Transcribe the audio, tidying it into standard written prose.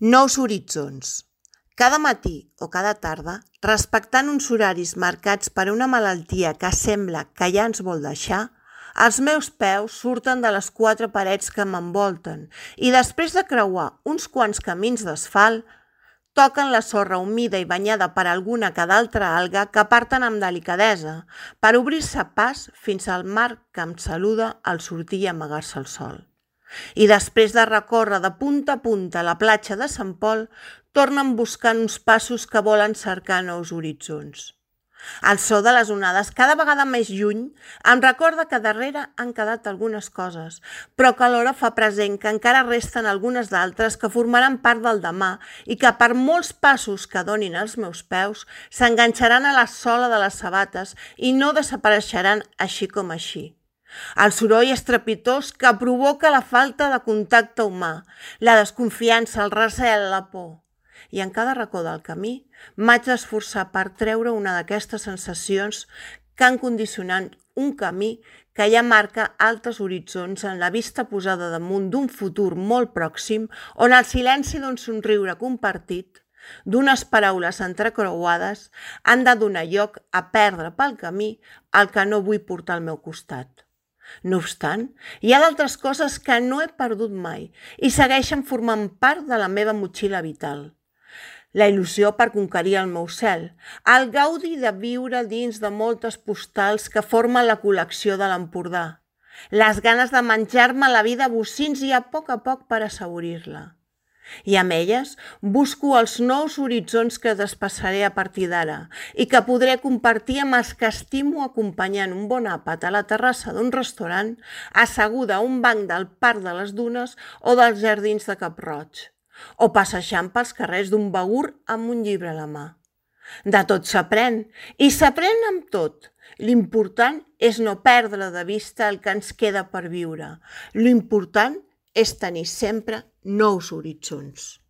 Nous horitzons. Cada matí o cada tarda, respectant uns horaris marcats per una malaltia que sembla que ja ens vol deixar, els meus peus surten de les 4 parets que m'envolten i després de creuar uns quants camins d'asfalt, toquen la sorra humida i banyada per alguna que d'altra alga que parten amb delicadesa per obrir-se pas fins al mar que em saluda al sortir i amagar-se el sol. I després de recórrer de punta a punta la platja de Sant Pol, tornen buscant uns passos que volen cercar nous horitzons. El so de les onades, cada vegada més lluny, em recorda que darrere han quedat algunes coses, però que alhora fa present que encara resten algunes d'altres que formaran part del demà i que per molts passos que donin els meus peus s'enganxaran a la sola de les sabates i no desapareixeran així com així. El soroll estrepitós que provoca la falta de contacte humà, la desconfiança, el recel, la por. I en cada racó del camí m'haig d'esforçar per treure una d'aquestes sensacions que han condicionat un camí que ja marca altres horitzons en la vista posada damunt d'un futur molt pròxim on el silenci d'un somriure compartit, d'unes paraules entrecreuades, han de donar lloc a perdre pel camí el que no vull portar al meu costat. No obstant, hi ha d'altres coses que no he perdut mai i segueixen formant part de la meva motxilla vital. La il·lusió per conquerir el meu cel, el gaudi de viure dins de moltes postals que formen la col·lecció de l'Empordà, les ganes de menjar-me la vida a bocins i a poc per assaurir-la. I amb elles busco els nous horitzons que despassaré a partir d'ara i que podré compartir amb els que estimo acompanyant un bon àpat a la terrassa d'un restaurant, asseguda a un banc del Parc de les Dunes o dels Jardins de Cap-roig, o passejant pels carrers d'un Begur amb un llibre a la mà. De tot s'aprèn, i s'aprèn amb tot. L'important és no perdre de vista el que ens queda per viure. L'important és tenir sempre nous horitzons.